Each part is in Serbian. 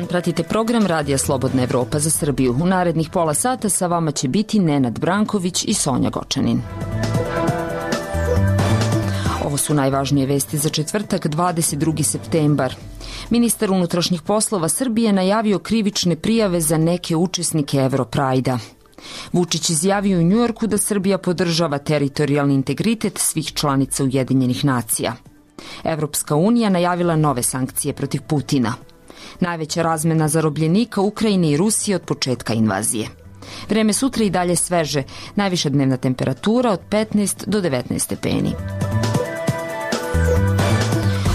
pratite program Radija Slobodna Evropa za Srbiju. U narednih pola sata sa vama će biti Nenad Branković i Sonja Gočanin. Ovo su najvažnije vesti za četvrtak, 22. septembar. Ministar unutrašnjih poslova Srbije najavio krivične prijave za neke učesnike Europrajda. Vučić izjavio u Njujorku da Srbija podržava teritorijalni integritet svih članica Ujedinjenih nacija. Evropska unija najavila nove sankcije protiv Putina. Najveća razmena zarobljenika Ukrajine i Rusije od početka invazije. Vreme sutra i dalje sveže, najviša dnevna temperatura od 15 do 19 stepeni.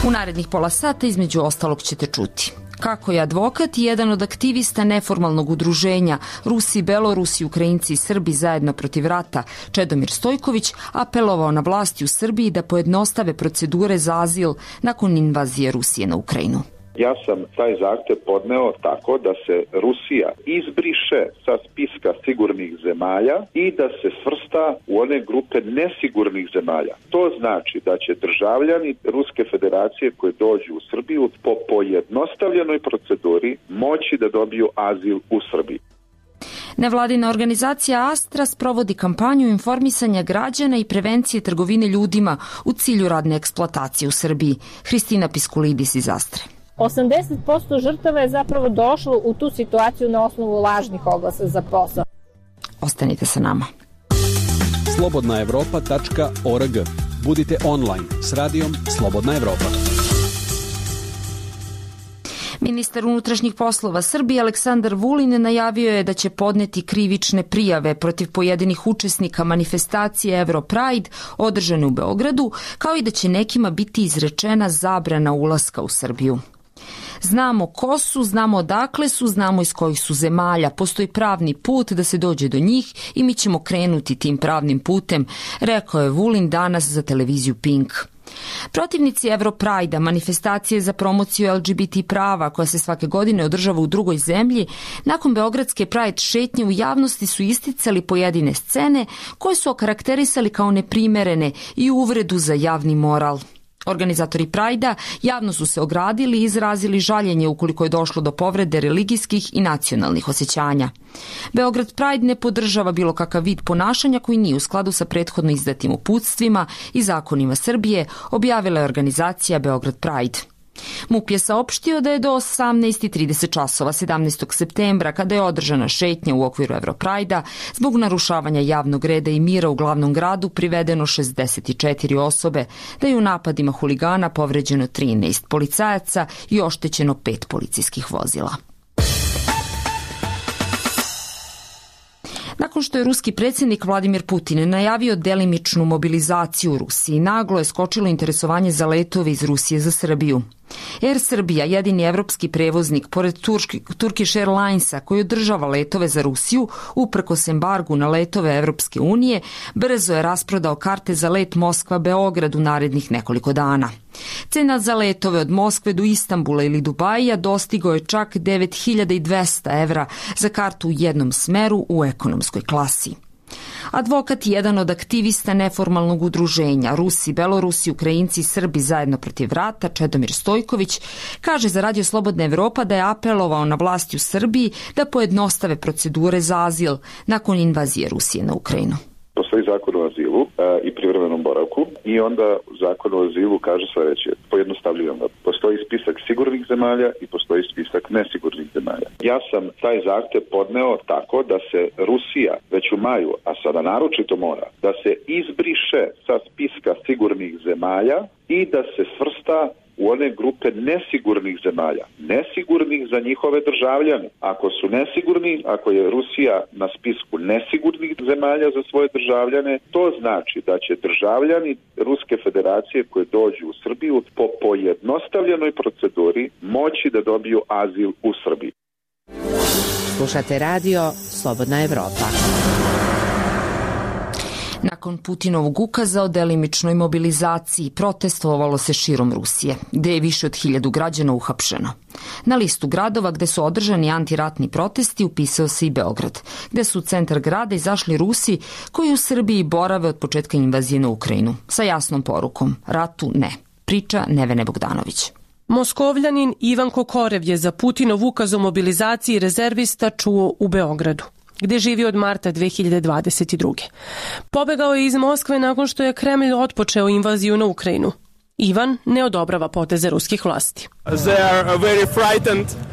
U narednih pola sata između ostalog ćete čuti kako je advokat i jedan od aktivista neformalnog udruženja Rusi, Belorusi, Ukrajinci i Srbi zajedno protiv rata, Čedomir Stojković, apelovao na vlasti u Srbiji da pojednostave procedure za azil nakon invazije Rusije na Ukrajinu. Ja sam taj zahtev podneo tako da se Rusija izbriše sa spiska sigurnih zemalja i da se svrsta u one grupe nesigurnih zemalja. To znači da će državljani Ruske federacije koji dođu u Srbiju po pojednostavljenoj proceduri moći da dobiju azil u Srbiji. Nevladina organizacija Astra sprovodi kampanju informisanja građana i prevencije trgovine ljudima u cilju radne eksploatacije u Srbiji. Hristina Piskulidis iz Astre. 80% žrtava je zapravo došlo u tu situaciju na osnovu lažnih oglasa za posao. Ostanite sa nama. slobodnaevropa.org. Budite online s radijom Slobodna Evropa. Ministar unutrašnjih poslova Srbije Aleksandar Vulin najavio je da će podneti krivične prijave protiv pojedinih učesnika manifestacije Europride održane u Beogradu, kao i da će nekima biti izrečena zabrana ulaska u Srbiju. Znamo ko su, znamo odakle su, znamo iz kojih su zemalja. Postoji pravni put da se dođe do njih i mi ćemo krenuti tim pravnim putem, rekao je Vulin danas za televiziju Pink. Protivnici Europrajda, manifestacije za promociju LGBT prava koja se svake godine održava u drugoj zemlji, nakon beogradske Pride šetnje u javnosti su isticali pojedine scene koje su okarakterisali kao neprimerene i uvredu za javni moral. Organizatori Prajda javno su se ogradili i izrazili žaljenje ukoliko je došlo do povrede religijskih i nacionalnih osjećanja. Beograd Pride ne podržava bilo kakav vid ponašanja koji nije u skladu sa prethodno izdatim uputstvima i zakonima Srbije, objavila je organizacija Beograd Pride. MUP je saopštio da je do 18:30 časova 17. septembra, kada je održana šetnja u okviru Europrajda, zbog narušavanja javnog reda i mira u glavnom gradu privedeno 64 osobe, da je u napadima huligana povređeno 13 policajaca i oštećeno 5 policijskih vozila. Nakon što je ruski predsjednik Vladimir Putin najavio delimičnu mobilizaciju u Rusiji, naglo je skočilo interesovanje za letove iz Rusije za Srbiju. Air Srbija, jedini evropski prevoznik, pored Turkish Airlinesa, koji održava letove za Rusiju, uprkos embargu na letove Evropske unije, brzo je rasprodao karte za let Moskva-Beograd u narednih nekoliko dana. Cena za letove od Moskve do Istanbula ili Dubaija dostigao je čak 9.200 evra za kartu u jednom smeru u ekonomskoj klasi. Advokat i jedan od aktivista neformalnog udruženja Rusi, Belorusi, Ukrajinci i Srbi zajedno protiv rata, Čedomir Stojković, kaže za Radio Slobodna Evropa da je apelovao na vlasti u Srbiji da pojednostave procedure za azil nakon invazije Rusije na Ukrajinu. Postoji zakon o azilu i privremenom boravku i onda zakon o azilu kaže sledeće, pojednostavljujem ga. Postoji spisak sigurnih zemalja i postoji spisak nesigurnih zemalja. Ja sam taj zahtev podneo tako da se Rusija već u maju, a sada naročito mora, da se izbriše sa spiska sigurnih zemalja i da se svrsta u one grupe nesigurnih zemalja. Nesigurnih za njihove državljane. Ako su nesigurni, ako je Rusija na spisku nesigurnih zemalja za svoje državljane, to znači da će državljani Ruske federacije koji dođu u Srbiju po pojednostavljenoj proceduri moći da dobiju azil u Srbiji. Slušate radio Slobodna Evropa. Nakon Putinovog ukaza o delimičnoj mobilizaciji protestovalo se širom Rusije, gde je više od 1000 građana uhapšeno. Na listu gradova gde su održani antiratni protesti upisao se i Beograd, gde su u centar grada izašli Rusi koji u Srbiji borave od početka invazije na Ukrajinu, sa jasnom porukom: ratu ne. Priča Nevene Bogdanović. Moskovljanin Ivan Kokorev je za Putinov ukaz o mobilizaciji rezervista čuo u Beogradu, gde živi od marta 2022. Pobegao je iz Moskve nakon što je Kremlj otpočeo invaziju na Ukrajinu. Ivan ne odobrava poteze ruskih vlasti.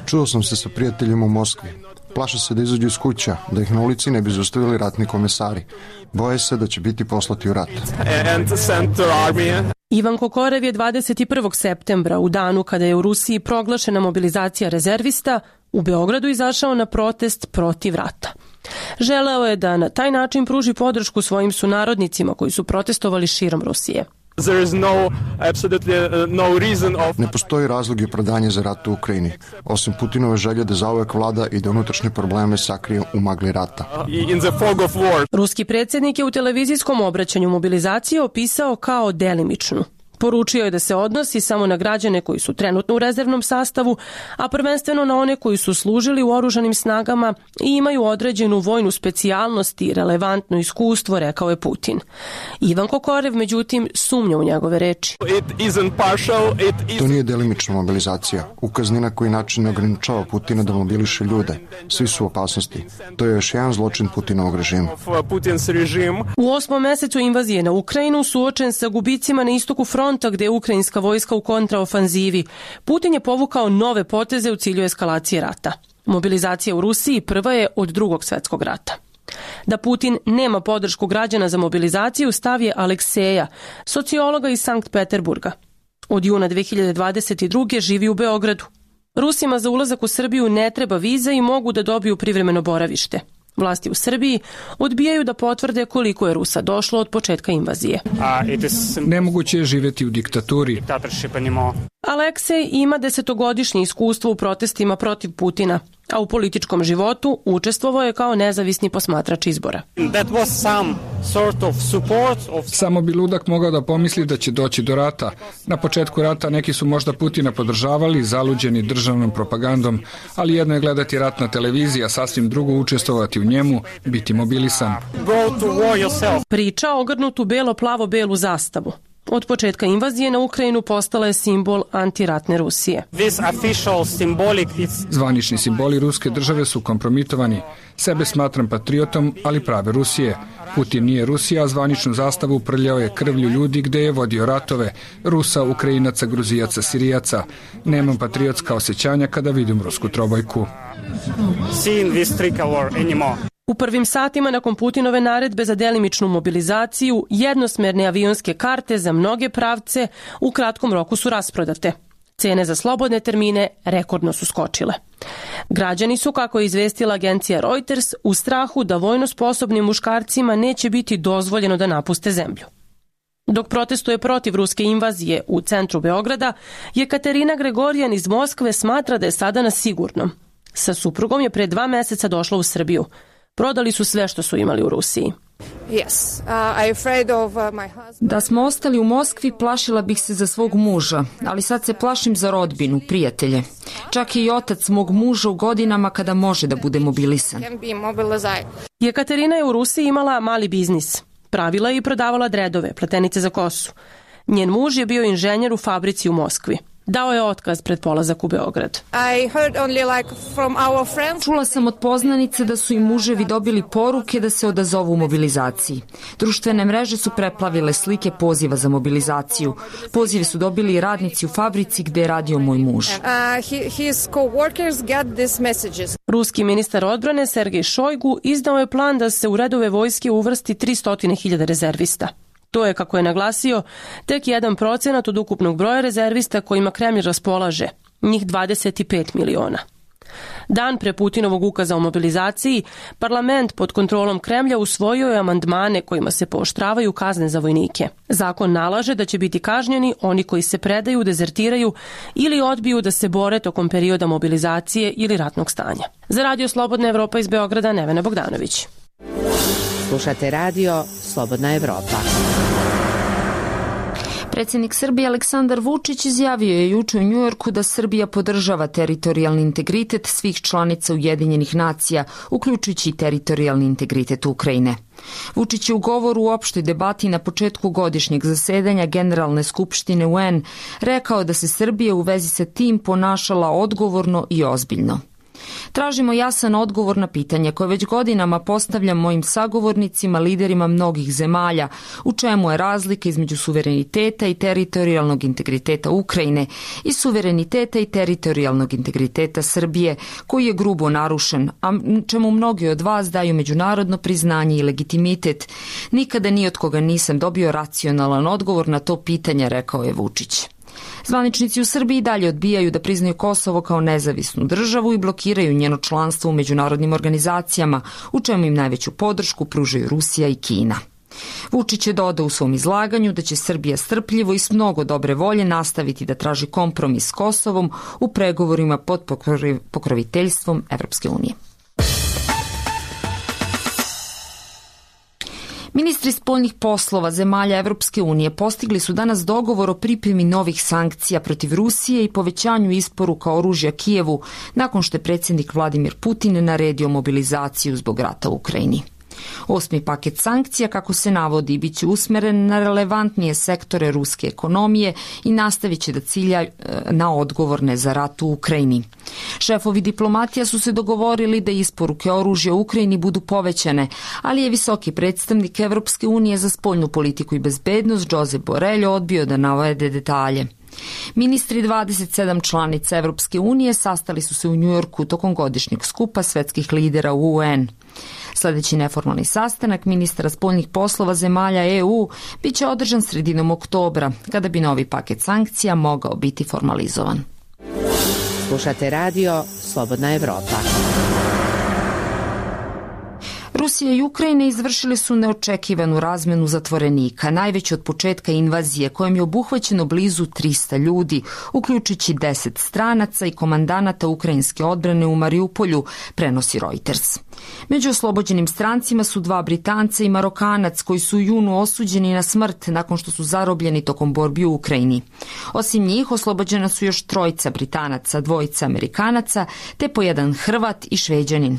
Čuo sam se sa prijateljima u Moskvi. Plaše se da izađu iz kuća, da ih na ulici ne bi zaustavili ratni komesari. Boje se da će biti poslati u rat. Ivan Kokorev je 21. septembra, u danu kada je u Rusiji proglašena mobilizacija rezervista, u Beogradu izašao na protest protiv rata. Želeo je da na taj način pruži podršku svojim sunarodnicima koji su protestovali širom Rusije. Ne postoji razlog i opravdanje za rat u Ukrajini, osim Putinove želje da zauvek vlada i da unutrašnje probleme sakrije u magli rata. Ruski predsjednik je u televizijskom obraćanju mobilizaciju opisao kao delimičnu. Poručio je da se odnosi samo na građane koji su trenutno u rezervnom sastavu, a prvenstveno na one koji su služili u oružanim snagama i imaju određenu vojnu specijalnost i relevantno iskustvo, rekao je Putin. Ivan Kokorev, međutim, sumnja u njegove reči. To nije delimična mobilizacija. Ukaz ni na koji način ne ograničava Putina da mobiliše ljude. Svi su u opasnosti. To je još jedan zločin Putinovog režima. U 8. mesecu invazije na Ukrajinu, suočen sa gubicima na istoku fronta gde je ukrajinska vojska u kontraofanzivi, Putin je povukao nove poteze u cilju eskalacije rata. Mobilizacija u Rusiji prva je od Drugog svjetskog rata. Da Putin nema podršku građana za mobilizaciju stav je Alekseja, sociologa iz Sankt Peterburga. Od juna 2022. živi u Beogradu. Rusima za ulazak u Srbiju ne treba viza i mogu da dobiju privremeno boravište. Vlasti u Srbiji odbijaju da potvrde koliko je Rusa došlo od početka invazije. Nemoguće je živjeti u diktaturi. Aleksej ima 10-godišnje iskustvo u protestima protiv Putina, a u političkom životu učestvovao je kao nezavisni posmatrač izbora. Samo bi ludak mogao da pomisli da će doći do rata. Na početku rata neki su možda Putina podržavali, zaluđeni državnom propagandom, ali jedno je gledati rat na televiziji, a sasvim drugo učestvovati u njemu, biti mobilisan. Priča ogrnutu belo-plavo-belu zastavu. Od početka invazije na Ukrajinu postala je simbol antiratne Rusije. Zvanični simboli ruske države su kompromitovani. Sebe smatram patriotom, ali prave Rusije. Putin nije Rusija, a zvaničnu zastavu uprljao je krvlju ljudi gde je vodio ratove. Rusa, Ukrajinaca, Gruzijaca, Sirijaca. Nemam patriotska osjećanja kada vidim rusku trobojku. U prvim satima nakon Putinove naredbe za delimičnu mobilizaciju, jednosmerne avionske karte za mnoge pravce u kratkom roku su rasprodate. Cene za slobodne termine rekordno su skočile. Građani su, kako je izvestila agencija Reuters, u strahu da vojno sposobnim muškarcima neće biti dozvoljeno da napuste zemlju. Dok protestuje protiv ruske invazije u centru Beograda, Jekaterina Gregorijan iz Moskve smatra da je sada na sigurnom. Sa suprugom je pre 2 meseca došla u Srbiju. Prodali su sve što su imali u Rusiji. Da smo ostali u Moskvi, plašila bih se za svog muža, ali sad se plašim za rodbinu, prijatelje. Čak je i otac mog muža u godinama kada može da bude mobilisan. Jekaterina je u Rusiji imala mali biznis. Pravila je i prodavala dredove, pletenice za kosu. Njen muž je bio inženjer u fabrici u Moskvi. Dao je otkaz pred polazak u Beograd. Čula sam od poznanice da su i muževi dobili poruke da se odazovu mobilizaciji. Društvene mreže su preplavile slike poziva za mobilizaciju. Pozive su dobili i radnici u fabrici gde je radio moj muž. Ruski ministar odbrane Sergej Šojgu izdao je plan da se u redove vojske uvrsti 300.000 rezervista. To je, kako je naglasio, tek 1% od ukupnog broja rezervista kojima Kremlj raspolaže, njih 25 miliona. Dan pre Putinovog ukaza o mobilizaciji, parlament pod kontrolom Kremlja usvojio je amandmane kojima se pooštravaju kazne za vojnike. Zakon nalaže da će biti kažnjeni oni koji se predaju, dezertiraju ili odbiju da se bore tokom perioda mobilizacije ili ratnog stanja. Za Radio Slobodna Evropa iz Beograda, Nevena Bogdanović. Slušate radio Slobodna Evropa. Predsjednik Srbije Aleksandar Vučić izjavio je juče u Njujorku da Srbija podržava teritorijalni integritet svih članica Ujedinjenih nacija, uključujući i teritorijalni integritet Ukrajine. Vučić je u govoru u opštoj debati na početku godišnjeg zasedanja Generalne skupštine UN rekao da se Srbija u vezi sa tim ponašala odgovorno i ozbiljno. Tražimo jasan odgovor na pitanje koje već godinama postavljam mojim sagovornicima, liderima mnogih zemalja, u čemu je razlika između suvereniteta i teritorijalnog integriteta Ukrajine i suvereniteta i teritorijalnog integriteta Srbije, koji je grubo narušen, a čemu mnogi od vas daju međunarodno priznanje i legitimitet. Nikada ni od koga nisam dobio racionalan odgovor na to pitanje, rekao je Vučić. Zvaničnici u Srbiji dalje odbijaju da priznaju Kosovo kao nezavisnu državu i blokiraju njeno članstvo u međunarodnim organizacijama, u čemu im najveću podršku pružaju Rusija i Kina. Vučić je dodao u svom izlaganju da će Srbija strpljivo i s mnogo dobre volje nastaviti da traži kompromis s Kosovom u pregovorima pod pokroviteljstvom Evropske unije. Ministri spoljnih poslova zemalja Evropske unije postigli su danas dogovor o pripremi novih sankcija protiv Rusije i povećanju isporuka oružja Kijevu nakon što je predsjednik Vladimir Putin naredio mobilizaciju zbog rata u Ukrajini. 8. paket sankcija, kako se navodi, bit će usmeren na relevantnije sektore ruske ekonomije i nastavit će da cilja na odgovorne za rat u Ukrajini. Šefovi diplomatija su se dogovorili da isporuke oružja u Ukrajini budu povećane, ali je visoki predstavnik Evropske unije za spoljnu politiku i bezbednost Josep Borrell odbio da navede detalje. Ministri 27 članica Evropske unije sastali su se u Njujorku tokom godišnjeg skupa svetskih lidera u UN. Sljedeći neformalni sastanak ministara spoljnih poslova zemalja EU biće održan sredinom oktobra, kada bi novi paket sankcija mogao biti formalizovan. Slušate radio Slobodna Evropa. Rusija i Ukrajina izvršili su neočekivanu razmenu zatvorenika, najveći od početka invazije, kojom je obuhvaćeno blizu 300 ljudi, uključujući 10 stranaca i komandanata ukrajinske odbrane u Mariupolju, prenosi Reuters. Među oslobođenim strancima su 2 Britanca i Marokanac, koji su u junu osuđeni na smrt nakon što su zarobljeni tokom borbi u Ukrajini. Osim njih, oslobođena su još 3 Britanaca, 2 Amerikanaca, te po 1 Hrvat i Šveđanin.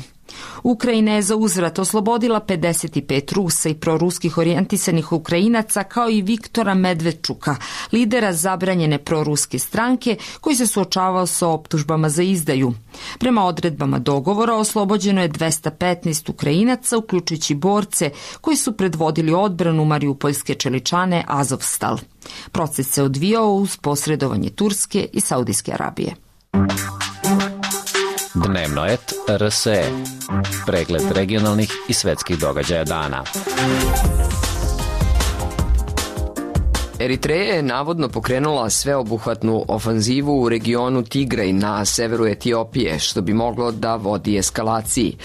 Ukrajina je za uzvrat oslobodila 55 Rusa i proruskih orijentisanih Ukrajinaca, kao i Viktora Medvedčuka, lidera zabranjene proruske stranke, koji se suočavao sa optužbama za izdaju. Prema odredbama dogovora oslobođeno je 215 Ukrajinaca, uključujući borce koji su predvodili odbranu mariupoljske čeličane Azovstal. Proces se odvijao uz posredovanje Turske i Saudijske Arabije. Dnevnoet RSE. Pregled regionalnih i svetskih događaja dana. Eritreja je navodno pokrenula sveobuhvatnu ofanzivu u regionu Tigraj na severu Etiopije, što bi moglo da vodi eskalaciji.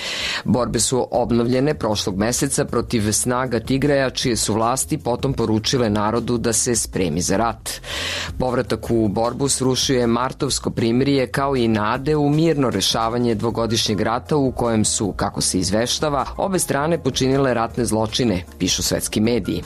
Borbe su obnovljene prošlog meseca protiv snaga Tigraja, čije su vlasti potom poručile narodu da se spremi za rat. Povratak u borbu srušio je martovsko primirje, kao i nade u mirno rešavanje dvogodišnjeg rata u kojem su, kako se izveštava, obe strane počinile ratne zločine, pišu svetski mediji.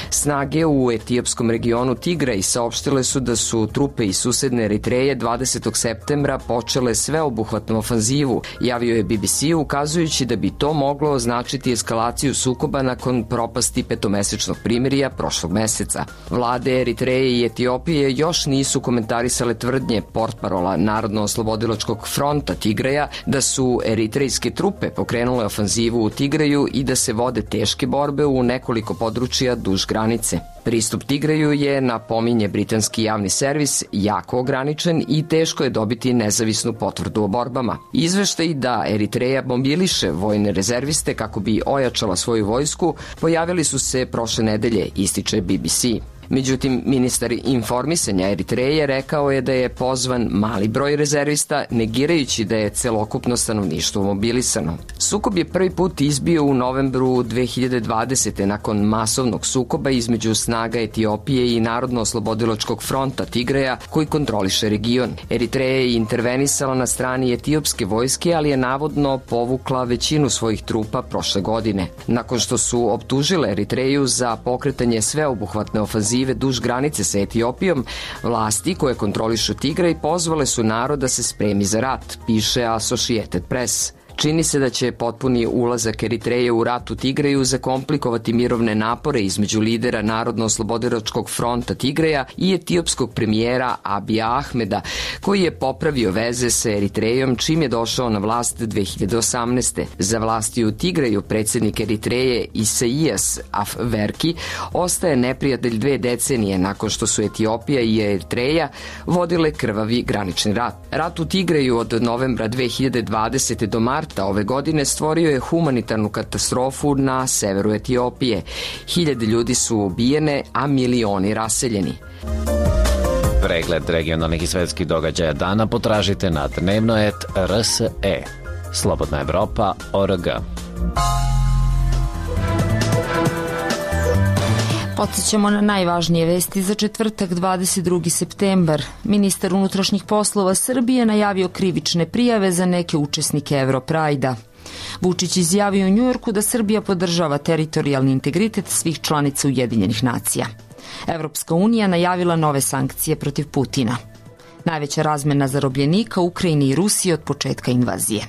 Snage u etiopskom regionu Tigraj saopštile su da su trupe iz susedne Eritreje 20. septembra počele sveobuhvatnu ofanzivu, javio je BBC, ukazujući da bi to moglo označiti eskalaciju sukoba nakon propasti petomesečnog primirja prošlog meseca. Vlade Eritreje i Etiopije još nisu komentarisale tvrdnje portparola Narodno-oslobodilačkog fronta Tigraja da su eritrejske trupe pokrenule ofanzivu u Tigraju i da se vode teške borbe u nekoliko područja duž granice. Pristup Tigraju je, napominje britanski javni servis, jako ograničen i teško je dobiti nezavisnu potvrdu o borbama. Izveštaj da Eritreja mobiliše vojne rezerviste kako bi ojačala svoju vojsku pojavili su se prošle nedelje, ističe BBC. Međutim, ministar informisanja Eritreje rekao je da je pozvan mali broj rezervista, negirajući da je celokupno stanovništvo mobilisano. Sukob je prvi put izbio u novembru 2020. nakon masovnog sukoba između snaga Etiopije i Narodno-oslobodilačkog fronta Tigraja, koji kontroliše region. Eritreja je intervenisala na strani etiopske vojske, ali je navodno povukla većinu svojih trupa prošle godine. Nakon što su optužile Eritreju za pokretanje sveobuhvatne ofanzive ofanzive duž granice sa Etiopijom, vlasti koje kontrolišu Tigraj pozvale su narod da se spremi za rat, piše Associated Press. Čini se da će potpuni ulazak Eritreje u rat u Tigraju zakomplikovati mirovne napore između lidera Narodno-oslobodilačkog fronta Tigraja i etiopskog premijera Abija Ahmeda, koji je popravio veze sa Eritrejom čim je došao na vlast 2018. Za vlasti u Tigraju predsednik Eritreje Isaijas Afwerki ostaje neprijatelj 2 decenije nakon što su Etiopija i Eritreja vodile krvavi granični rat. Rat u Tigraju od novembra 2020. do marta ove godine stvorio je humanitarnu katastrofu na severu Etiopije. 1000 ljudi su ubijene, a milioni raseljeni. Pregled regionalnih i svetskih događaja dana potražite na dnevnoet.rse. Slobodna Evropa.org. Podsjećamo na najvažnije vesti za četvrtak 22. septembar. Ministar unutrašnjih poslova Srbije najavio krivične prijave za neke učesnike Europrajda. Vučić izjavio u Njujorku da Srbija podržava teritorijalni integritet svih članica Ujedinjenih nacija. Evropska unija najavila nove sankcije protiv Putina. Najveća razmena zarobljenika u Ukrajini i Rusiji od početka invazije.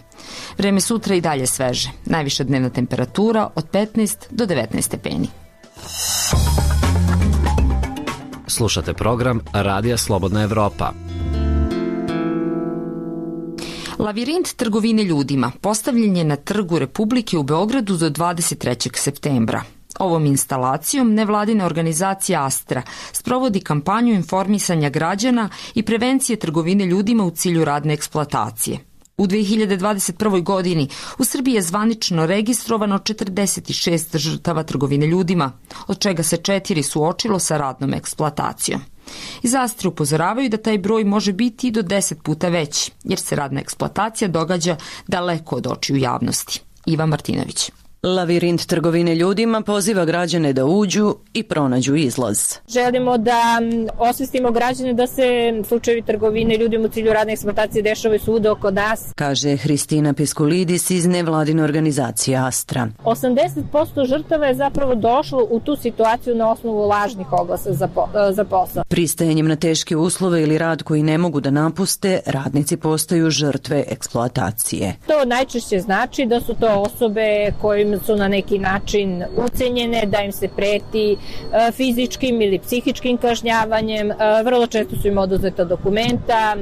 Vreme sutra i dalje sveže. Najviša dnevna temperatura od 15 do 19 stepeni. Slušate program Radija Slobodna Evropa. Lavirint trgovine ljudima postavljen je na Trgu Republike u Beogradu do 23. septembra. Ovom instalacijom nevladina organizacija Astra sprovodi kampanju informisanja građana i prevencije trgovine ljudima u cilju radne eksploatacije. U 2021. godini u Srbiji je zvanično registrovano 46 žrtava trgovine ljudima, od čega se 4 suočilo sa radnom eksploatacijom. Iz Astre upozoravaju da taj broj može biti i do 10 puta veći, jer se radna eksploatacija događa daleko od očiju javnosti. Iva Martinović. Lavirint trgovine ljudima poziva građane da uđu i pronađu izlaz. Želimo da osvestimo građane da se slučajevi trgovine ljudima u cilju radne eksploatacije dešavaju svuda oko nas, kaže Hristina Piskulidis iz nevladine organizacije Astra. 80% žrtava je zapravo došlo u tu situaciju na osnovu lažnih oglasa za posao. Pristajanjem na teške uslove ili rad koji ne mogu da napuste, radnici postaju žrtve eksploatacije. To najčešće znači da su to osobe kojim su na neki način ucenjene, da im se preti fizičkim ili psihičkim kažnjavanjem, vrlo često su im oduzeta dokumenta,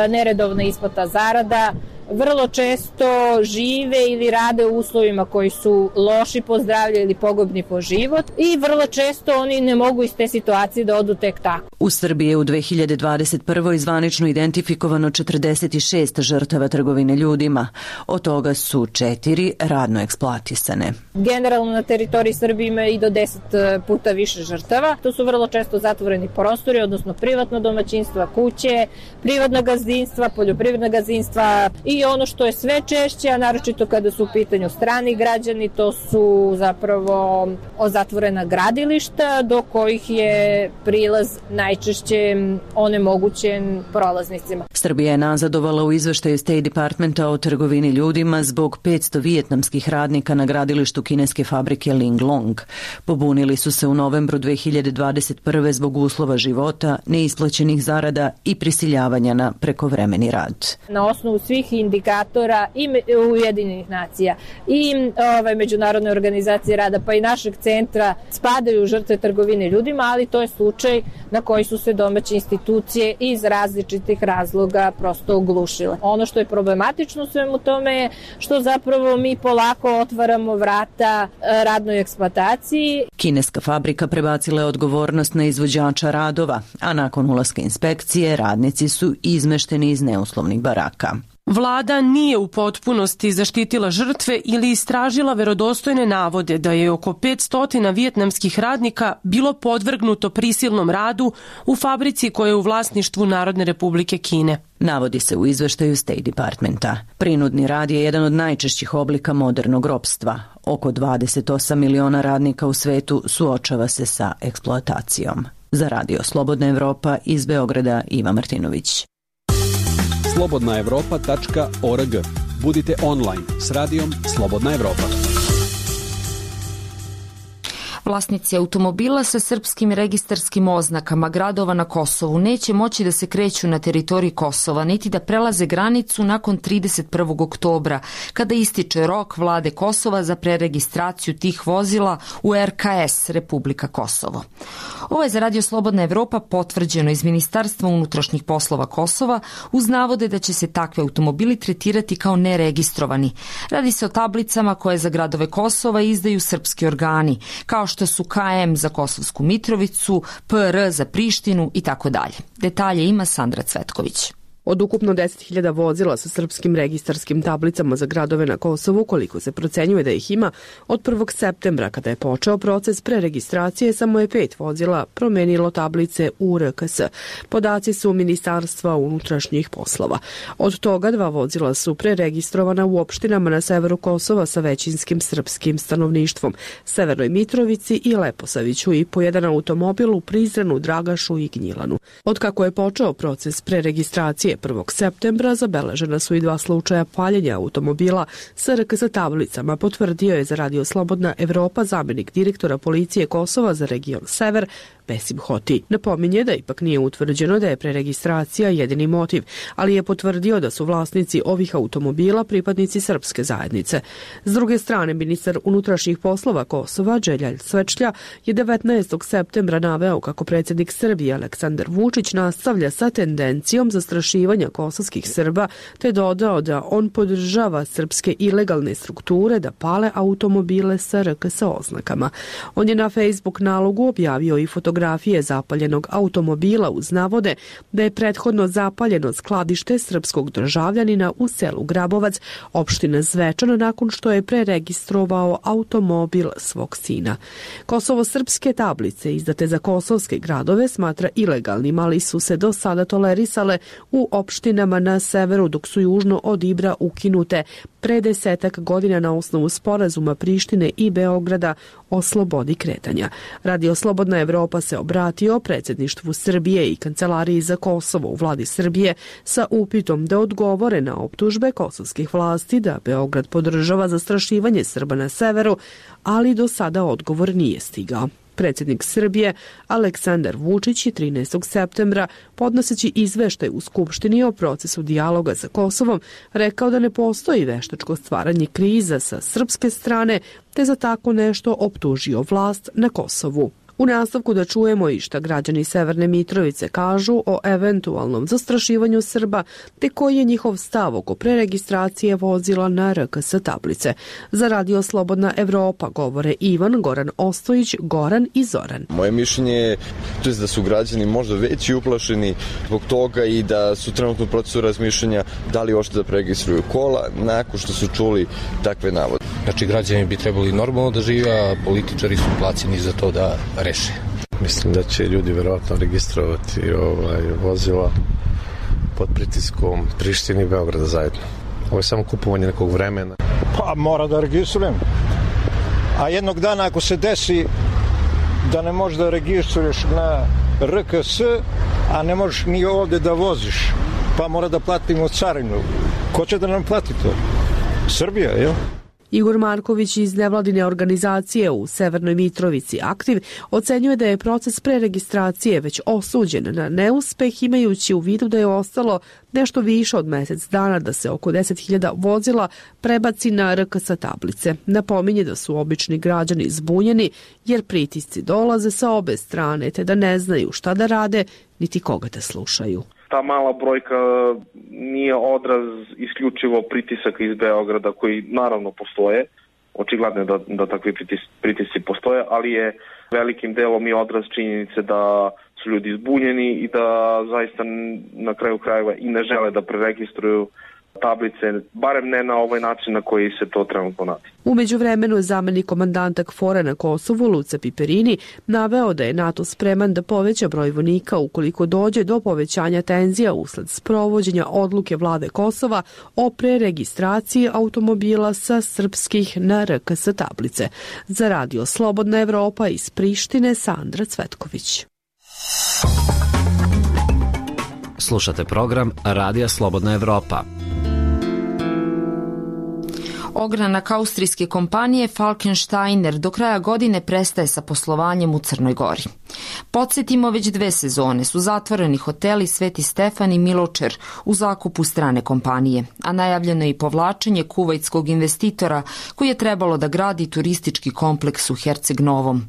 neredovna isplata zarada, vrlo često žive ili rade u uslovima koji su loši po zdravlje ili pogubni po život i vrlo često oni ne mogu iz te situacije da odu tek tako. U Srbiji je u 2021. zvanično identifikovano 46 žrtava trgovine ljudima. Od toga su 4 radno eksploatisane. Generalno na teritoriji Srbije ima i do 10 puta više žrtava. To su vrlo često zatvoreni prostori, odnosno privatno domaćinstva, kuće, privatna gazdinstva, poljoprivredna gazdinstva i ono što je sve češće, a naročito kada su u pitanju strani građani, to su zapravo zatvorena gradilišta do kojih je prilaz najčešće onemogućen prolaznicima. Srbija je nazadovala u izveštaju State Departmenta o trgovini ljudima zbog 500 vijetnamskih radnika na gradilištu kineske fabrike Linglong. Pobunili su se u novembru 2021. zbog uslova života, neisplaćenih zarada i prisiljavanja na prekovremeni rad. Na osnovu svih indikatora i Ujedinjenih nacija i Međunarodne organizacije rada pa i našeg centra spadaju žrtve trgovine ljudima, ali to je slučaj na koji su se domaće institucije iz različitih razloga prosto oglušile. Ono što je problematično u svemu tome je što zapravo mi polako otvaramo vrata radnoj eksploataciji. Kineska fabrika prebacila je odgovornost na izvođača radova, a nakon ulaska inspekcije radnici su izmešteni iz neuslovnih baraka. Vlada nije u potpunosti zaštitila žrtve ili istražila verodostojne navode da je oko 500 vijetnamskih radnika bilo podvrgnuto prisilnom radu u fabrici koja je u vlasništvu Narodne Republike Kine. Navodi se u izveštaju State Departmenta. Prinudni rad je jedan od najčešćih oblika modernog ropstva. Oko 28 miliona radnika u svetu suočava se sa eksploatacijom. Za Radio Slobodna Evropa iz Beograda Iva Martinović. slobodnaevropa.org. Budite online s radijom Slobodna Evropa. Vlasnici automobila sa srpskim registarskim oznakama gradova na Kosovu neće moći da se kreću na teritoriji Kosova, niti da prelaze granicu nakon 31. oktobra, kada ističe rok vlade Kosova za preregistraciju tih vozila u RKS, Republika Kosovo. Ovo je za Radio Slobodna Evropa potvrđeno iz Ministarstva unutrašnjih poslova Kosova uz navode da će se takve automobili tretirati kao neregistrovani. Radi se o tablicama koje za gradove Kosova izdaju srpski organi, kao što su KM za Kosovsku Mitrovicu, PR za Prištinu i tako dalje. Detalje ima Sandra Cvetković. Od ukupno 10.000 vozila sa srpskim registarskim tablicama za gradove na Kosovu, koliko se procenjuje da ih ima, od 1. septembra, kada je počeo proces preregistracije, samo je 5 vozila promenilo tablice u RKS. Podaci su Ministarstva unutrašnjih poslova. Od toga 2 vozila su preregistrovana u opštinama na severu Kosova sa većinskim srpskim stanovništvom, Severnoj Mitrovici i Leposaviću, i po jedan automobil u Prizrenu, Dragašu i Gnjilanu. Od kako je počeo proces preregistracije 1. septembra zabeležena su i 2 slučaja paljenja automobila sa RKS tablicama, potvrdio je za Radio Slobodna Evropa zamenik direktora policije Kosova za region Sever, Besim Hoti. Napominje da ipak nije utvrđeno da je preregistracija jedini motiv, ali je potvrdio da su vlasnici ovih automobila pripadnici srpske zajednice. S druge strane, ministar unutrašnjih poslova Kosova, Đeljal Svečlja, je 19. septembra naveo kako predsjednik Srbije Aleksandar Vučić nastavlja sa tendencijom zastrašivanja kosovskih Srba, te dodao da on podržava srpske ilegalne strukture da pale automobile sa RKS oznakama. On je na Facebook nalogu objavio i fotografije zapaljenog automobila uz navode da je prethodno zapaljeno skladište srpskog državljanina u selu Grabovac, opština Zvečan, nakon što je preregistrovao automobil svog sina. Kosovo-srpske tablice izdate za kosovske gradove smatra ilegalnim, ali su se do sada tolerisale u opštinama na severu, dok su južno od Ibra ukinute pre 10 godina na osnovu sporazuma Prištine i Beograda o slobodi kretanja. Radio Slobodna Evropa se obratio predsjedništvu Srbije i Kancelariji za Kosovo u vladi Srbije sa upitom da odgovore na optužbe kosovskih vlasti da Beograd podržava zastrašivanje Srba na severu, ali do sada odgovor nije stigao. Predsjednik Srbije Aleksandar Vučić je 13. septembra, podnoseći izveštaj u Skupštini o procesu dijaloga sa Kosovom, rekao da ne postoji veštačko stvaranje kriza sa srpske strane, te za tako nešto optužio vlast na Kosovu. U nastavku da čujemo i šta građani Severne Mitrovice kažu o eventualnom zastrašivanju Srba, te koji je njihov stav oko preregistracije vozila na RKS tablice. Za Radio Slobodna Evropa govore Ivan, Goran Ostojić, Goran i Zoran. Moje mišljenje je da su građani možda već i uplašeni zbog toga i da su trenutno u procesu razmišljanja da li uopšte da preregistruju kola nakon što su čuli takve navode. Znači, građani bi trebali normalno da žive, a političari su plaćeni za to da reše. Mislim da će ljudi verovatno registrovati vozila pod pritiskom Prištine i Beograda zajedno. Ovo je samo kupovanje nekog vremena. Pa mora da registrujem. A jednog dana ako se desi da ne možeš da registruješ na RKS, a ne možeš ni ovde da voziš, pa mora da platimo carinu. Ko će da nam plati to? Srbija, jel? Igor Marković iz nevladine organizacije u Severnoj Mitrovici Aktiv ocenjuje da je proces preregistracije već osuđen na neuspeh, imajući u vidu da je ostalo nešto više od mjesec dana da se oko 10.000 vozila prebaci na RKS tablice. Napominje da su obični građani zbunjeni jer pritisci dolaze sa obe strane, te da ne znaju šta da rade niti koga da slušaju. Ta mala brojka nije odraz isključivo pritisaka iz Beograda koji naravno postoje, očigledno je da takvi pritisci postoje, ali je velikim delom i odraz činjenice da su ljudi zbunjeni i da zaista na kraju krajeva i ne žele da preregistruju tablice, barem ne na ovaj način na koji se to trenutno radi. U međuvremenu zamenik komandanta KFOR-a na Kosovu, Luca Piperini, naveo da je NATO spreman da poveća broj vojnika ukoliko dođe do povećanja tenzija usled sprovođenja odluke vlade Kosova o preregistraciji automobila sa srpskih na RKS tablice. Za Radio Slobodna Evropa iz Prištine, Sandra Cvetković. Slušate program Radija Slobodna Evropa. Ogranak austrijske kompanije Falkensteiner do kraja godine prestaje sa poslovanjem u Crnoj Gori. Podsjetimo, već 2 sezone su zatvoreni hoteli Sveti Stefan i Miločer u zakupu strane kompanije, a najavljeno je i povlačenje kuvajtskog investitora koji je trebalo da gradi turistički kompleks u Herceg Novom.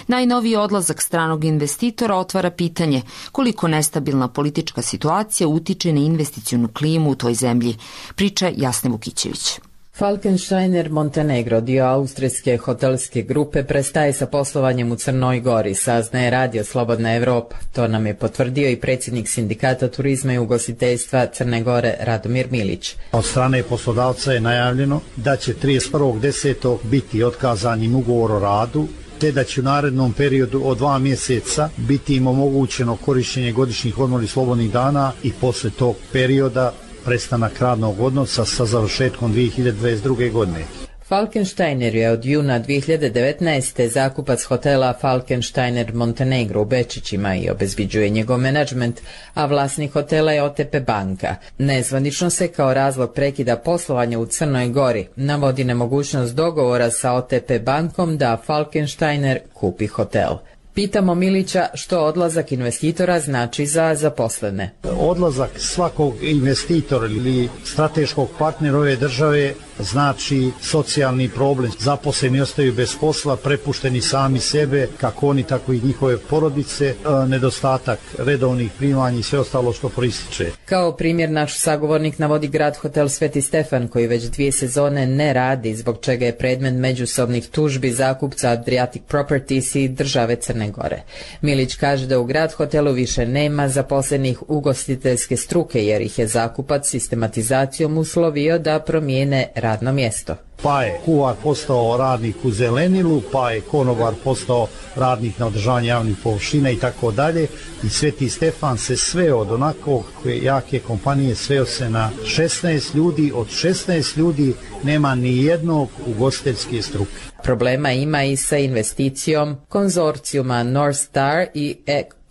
Najnoviji odlazak stranog investitora otvara pitanje koliko nestabilna politička situacija utiče na investicionu klimu u toj zemlji, priča Jasna Vukićević. Falkensteiner Montenegro, dio austrijske hotelske grupe, prestaje sa poslovanjem u Crnoj Gori, saznaje Radio Slobodna Evropa. To nam je potvrdio i predsjednik Sindikata turizma i ugostiteljstva Crne Gore Radomir Milić. Od strane poslodavca je najavljeno da će 31.10. biti otkazan im ugovor o radu, te da će u narednom periodu od 2 mjeseca biti im omogućeno korištenje godišnjih odmora i slobodnih dana i posle tog perioda prestanak radnog odnosa sa završetkom 2022. godine. Falkensteiner je od juna 2019. zakupac hotela Falkensteiner Montenegro u Bečićima i obezbiđuje njegov menadžment, a vlasnik hotela je OTP banka. Nezvanično se kao razlog prekida poslovanja u Crnoj Gori navodi nemogućnost dogovora sa OTP bankom da Falkensteiner kupi hotel. Pitamo Milića što odlazak investitora znači za zaposlene. Odlazak svakog investitora ili strateškog partnera ove države znači socijalni problem. Zaposleni ostaju bez posla, prepušteni sami sebe, kako oni tako i njihove porodice, nedostatak redovnih primanja i sve ostalo što proističe. Kao primjer naš sagovornik navodi grad hotel Sveti Stefan koji već 2 sezone ne radi, zbog čega je predmet međusobnih tužbi zakupca Adriatic Properties i države Crne Gore. Milić kaže da u grad hotelu više nema zaposlenih ugostiteljske struke jer ih je zakupac sistematizacijom uslovio da promijene radno mjesto. Pa je kuvar postao radnik u zelenilu, pa je konobar postao radnik na održavanje javnih površina i tako dalje. I Sveti Stefan se sveo od onako jake kompanije, sveo se na 16 ljudi. Od 16 ljudi nema ni jednog ugostiteljske struke. Problema ima i sa investicijom konzorcijuma North Star i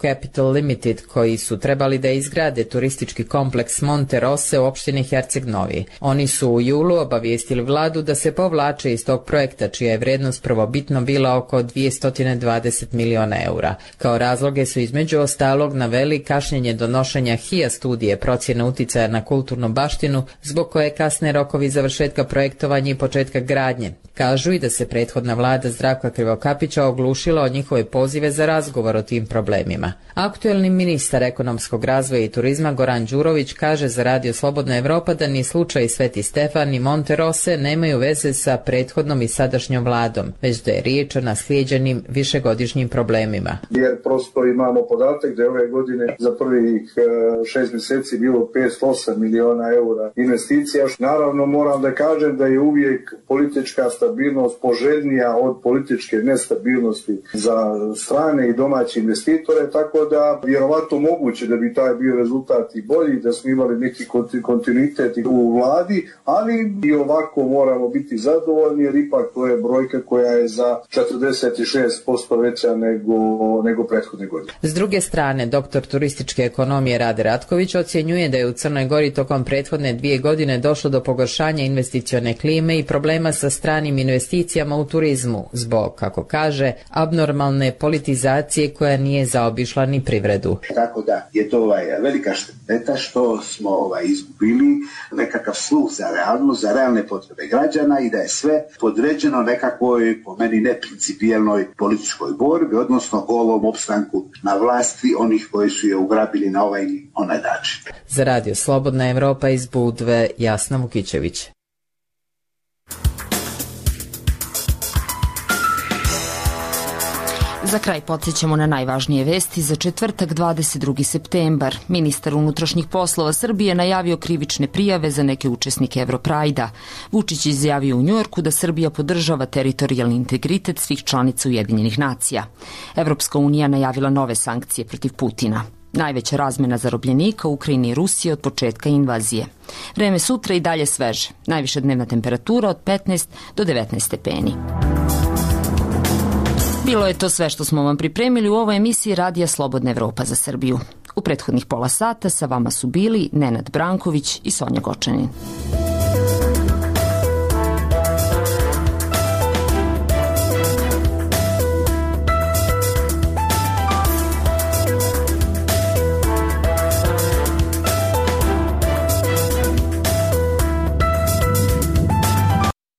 Capital Limited koji su trebali da izgrade turistički kompleks Monte Rosse u opštini Herceg Novi. Oni su u julu obavijestili vladu da se povlače iz tog projekta čija je vrednost prvobitno bila oko 220 miliona eura. Kao razloge su između ostalog naveli kašnjenje donošenja HIA studije procjene uticaja na kulturnu baštinu, zbog koje kasne rokovi završetka projektovanja i početka gradnje. Kažu i da se prethodna vlada Zdravka Krivokapića oglušila od njihove pozive za razgovor o tim problemima. Aktuelni ministar ekonomskog razvoja i turizma Goran Đurović kaže za Radio Slobodna Evropa da ni slučaj Sveti Stefan ni Monte Rosse nemaju veze sa prethodnom i sadašnjom vladom, već da je riječ o naslijeđenim višegodišnjim problemima. Jer prosto imamo podatak da je ove godine za prvih 6 mjeseci bilo 508 miliona eura investicija. Naravno moram da kažem da je uvijek politička stabilnost poželjnija od političke nestabilnosti za strane i domaće investitore, tako da vjerovatno moguće da bi taj bio rezultat i bolji, da smo imali neki kontinuitet u vladi, ali i ovako moramo biti zadovoljni jer ipak to je brojka koja je za 46% veća nego prethodne godine. S druge strane, doktor turističke ekonomije Rade Ratković ocjenjuje da je u Crnoj Gori tokom prethodne 2 godine došlo do pogoršanja investicione klime i problema sa stranim investicijama u turizmu zbog, kako kaže, abnormalne politizacije koja nije zaobišla ni privredu. Tako da je to velika šteta što smo izgubili nekakav sluh za realnost, za realne potrebe građana i da je sve podređeno nekakvoj, po meni, neprincipijelnoj političkoj borbi, odnosno golom opstanku na vlasti onih koji su je ugrabili na ovaj ili onaj način. Za Radio Slobodna Evropa iz Budve, Jasna Vukićević. Za kraj podsjećamo na najvažnije vesti za četvrtak 22. septembar. Ministar unutrašnjih poslova Srbije najavio krivične prijave za neke učesnike Europrajda. Vučić izjavio u Njujorku da Srbija podržava teritorijalni integritet svih članica Ujedinjenih nacija. Evropska unija najavila nove sankcije protiv Putina. Najveća razmena zarobljenika u Ukrajini i Rusiji od početka invazije. Vreme sutra i dalje sveže. Najviša dnevna temperatura od 15 do 19 stepeni. Bilo je to sve što smo vam pripremili u ovoj emisiji Radija Slobodna Evropa za Srbiju. U prethodnih pola sata sa vama su bili Nenad Branković i Sonja Gočanin.